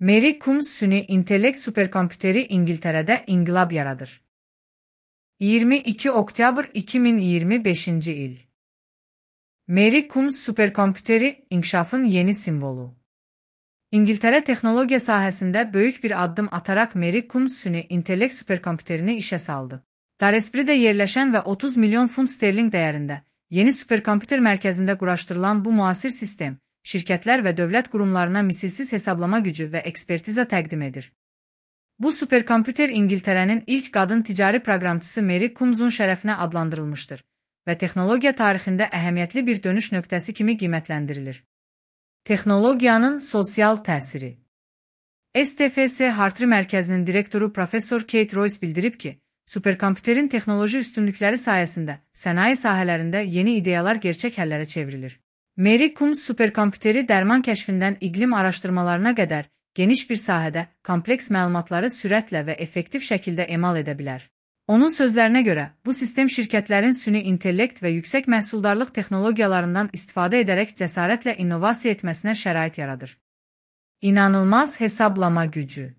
Mary Coombs süni intellekt superkompüteri İngiltərədə inqilab yaradır. 22 oktyabr 2025 il. Mary Coombs superkompüteri inkişafın yeni simvolu. İngiltərə texnologiya sahəsində böyük bir addım ataraq Mary Coombs süni intellekt superkompüterini işə saldı. Daresbury'də yerləşən və 30 milyon funt sterling dəyərində yeni superkompüter mərkəzində quraşdırılan bu müasir sistem, şirkətlər və dövlət qurumlarına misilsiz hesablama gücü və ekspertiza təqdim edir. Bu superkompüter İngiltərənin ilk qadın ticari proqramçısı Mary Coombs'un şərəfinə adlandırılmışdır və texnologiya tarixində əhəmiyyətli bir dönüş nöqtəsi kimi qiymətləndirilir. Texnologiyanın sosial təsiri. STFS Hartree Mərkəzinin direktoru Professor Kate Royce bildirib ki, superkompüterin texnoloji üstünlükləri sayəsində sənaye sahələrində yeni ideyalar gerçək həllərə çevrilir. Mary Coombs superkompüteri dərman kəşfindən iqlim araşdırmalarına qədər geniş bir sahədə kompleks məlumatları sürətlə və effektiv şəkildə emal edə bilər. Onun sözlərinə görə, bu sistem şirkətlərin süni intellekt və yüksək məhsuldarlıq texnologiyalarından istifadə edərək cəsarətlə innovasiya etməsinə şərait yaradır. İnanılmaz hesablama gücü.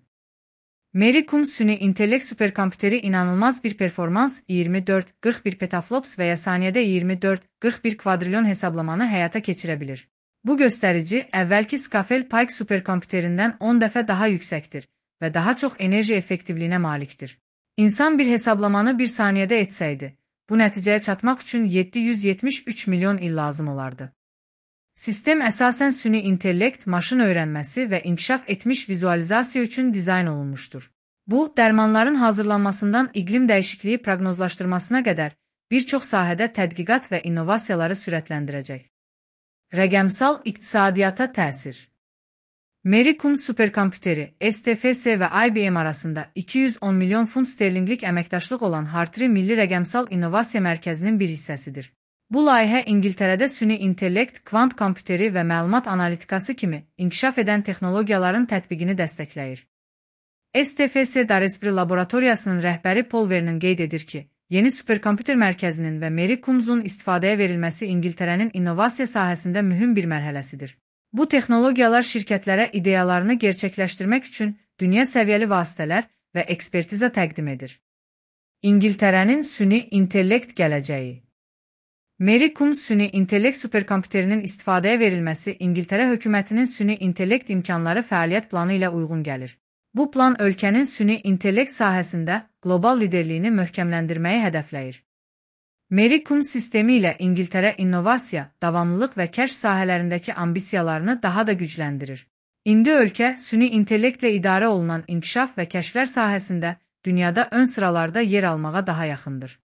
Mary Coombs süni intellekt superkompüteri inanılmaz bir performans 24-41 petaflops və ya saniyədə 24-41 kvadrilyon hesablamanı həyata keçirə bilir. Bu göstərici əvvəlki Scafell-Pike superkompüterindən 10 dəfə daha yüksəkdir və daha çox enerji effektivliyinə malikdir. İnsan bir hesablamanı bir saniyədə etsəydi, bu nəticəyə çatmaq üçün 773 milyon il lazım olardı. Sistem əsasən süni intellekt, maşın öyrənməsi və inkişaf etmiş vizualizasiya üçün dizayn olunmuşdur. Bu, dərmanların hazırlanmasından iqlim dəyişikliyi proqnozlaşdırmasına qədər bir çox sahədə tədqiqat və innovasiyaları sürətləndirəcək. Rəqəmsal iqtisadiyyata təsir. Mary Coombs superkompüteri, STFS və IBM arasında 210 milyon funt sterlinqlik əməkdaşlıq olan Hartree Milli Rəqəmsal İnnovasiya Mərkəzinin bir hissəsidir. Bu layihə İngiltərədə süni intellekt, kvant kompüteri və məlumat analitikası kimi inkişaf edən texnologiyaların tətbiqini dəstəkləyir. STFS Daresbury laboratoriyasının rəhbəri Paul Vernon qeyd edir ki, yeni superkompüter mərkəzinin və Mary Coombs'un istifadəyə verilməsi İngiltərənin innovasiya sahəsində mühüm bir mərhələsidir. Bu texnologiyalar şirkətlərə ideyalarını gerçəkləşdirmək üçün dünya səviyyəli vasitələr və ekspertiza təqdim edir. İngiltərənin süni intellekt gələcəyi. Mary Coombs süni intellekt superkompüterinin istifadəyə verilməsi İngiltərə hökumətinin süni intellekt imkanları fəaliyyət planı ilə uyğun gəlir. Bu plan ölkənin süni intellekt sahəsində qlobal liderliyini möhkəmləndirməyi hədəfləyir. Mary Coombs sistemi ilə İngiltərə innovasiya, davamlılıq və kəşf sahələrindəki ambisiyalarını daha da gücləndirir. İndi ölkə süni intellektlə idarə olunan inkişaf və kəşflər sahəsində dünyada ön sıralarda yer almağa daha yaxındır.